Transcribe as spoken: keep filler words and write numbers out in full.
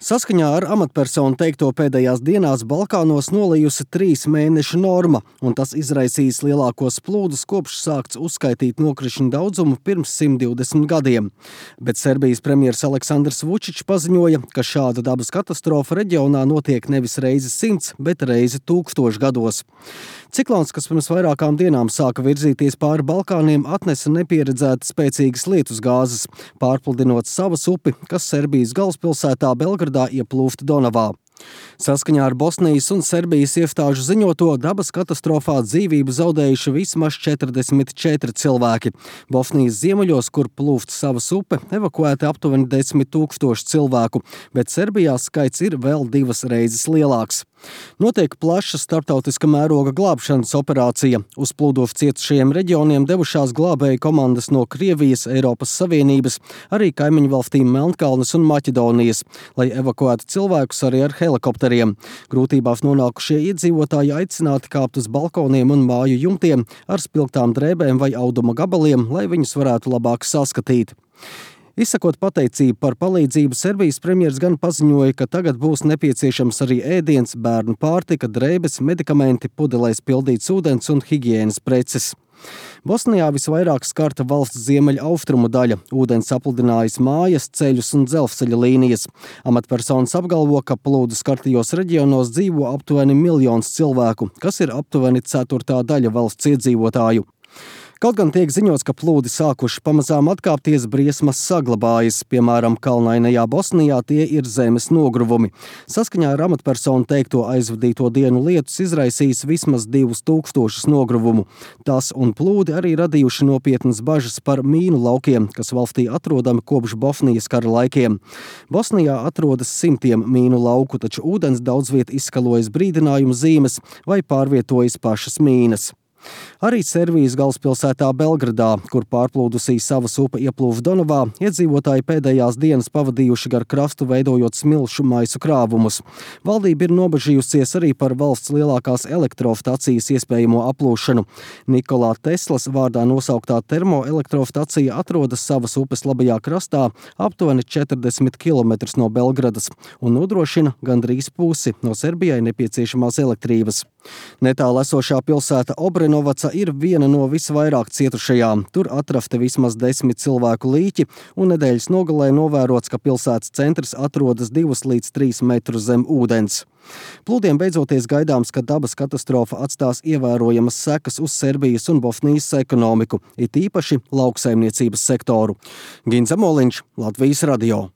Saskaņā ar amatpersonu teikto pēdējās dienās Balkānos nolījusi trīs mēnešu norma, un tas izraisījis lielākos plūdus, kopš sākts uzskaitīt nokrišņu daudzumu pirms simt divdesmit gadiem. Bet Serbijas premjers Aleksandrs Vučičs paziņoja, ka šāda dabas katastrofa reģionā notiek nevis reizi simts, bet reizi tūkstošu gados. Ciklons, kas pirms vairākām dienām sāka virzīties pāri Balkāniem, atnesa nepieredzētas spēcīgas lietusgāzes, pārpludinot Savas upi, kas Serbijas galvaspilsētā Belgradā ieplūfta Donavā. Saskaņā ar Bosnijas un Serbijas iestāžu ziņoto, dabas katastrofā dzīvību zaudējuši vismaz četrdesmit četri cilvēki. Bosnijas ziemeļos, kur plūst Savas upe, evakuēti aptuveni desmit tūkstoši cilvēku, bet Serbijā skaits ir vēl divas reizes lielāks. Notiek plaša starptautiska mēroga glābšanas operācija. Uz plūdos cietušajiem reģioniem devušās glābēju komandas no Krievijas, Eiropas Savienības, arī kaimiņu valstīm Melnkalnes un Maķedonijas, lai evakuētu cilvēkus arī ar helikopteriem. Grūtībās nonākušie iedzīvotāji aicināti kāpt uz balkoniem un māju jumtiem ar spilgtām drēbēm vai auduma gabaliem, lai viņus varētu labāk saskatīt. Izsakot pateicību par palīdzību, Serbijas premjers gan paziņoja, ka tagad būs nepieciešams arī ēdiens, bērnu pārtika, drēbes, medikamenti, pudelēs pildīts ūdens un higienas preces. Bosnijā visvairāk skarta valsts ziemeļa austrumu daļa. Ūdens apludinājis mājas, ceļus un dzelzceļa līnijas. Amatpersonas apgalvo, ka plūdu skartajos reģionos dzīvo aptuveni miljons cilvēku, kas ir aptuveni ceturtā daļa valsts iedzīvotāju. Kaut gan tiek ziņots, ka plūdi sākuši pamazām atkāpties, briesmas saglabājas. Piemēram, kalnainajā Bosnijā tie ir zemes nogruvumi. Saskaņā ar amatpersonu teikto, aizvadīto dienu lietus izraisījis vismaz divus tūkstošus nogruvumu. Tas un plūdi arī radījuši nopietnas bažas par mīnu laukiem, kas valstī atrodami kopš Bosnijas kara laikiem. Bosnijā atrodas simtiem mīnu lauku, taču ūdens daudz viet izskalojas brīdinājumu zīmes vai pārvietojas pašas mīnas. Arī Serbijas galvaspilsētā Belgradā, kur pārplūdusī Savas upe ieplūva Donavā, iedzīvotāji pēdējās dienas pavadījuši gar krastu, veidojot smilšu maisu krāvumus. Valdība ir nobažījusies arī par valsts lielākās elektrostacijas iespējamo aplūšanu. Nikolā Teslas vārdā nosauktā termoelektrostacija atrodas Savas upes labajā krastā, aptuveni četrdesmit kilometrus no Belgradas, un nodrošina gandrīz pusi no Serbijai nepieciešamās elektrības. Netālu esošā pilsēta Obrenovaca ir viena no visvairāk cietušajām. Tur atrasti vismaz desmit cilvēku līķi, un nedēļas nogalē novērots, ka pilsētas centrs atrodas divus līdz trīs metrus zem ūdens. Plūdiem beidzoties gaidāms, ka dabas katastrofa atstās ievērojamas sekas uz Serbijas un Bosnijas ekonomiku, it īpaši lauksaimniecības sektoru. Ginza Moliņš, Latvijas radio.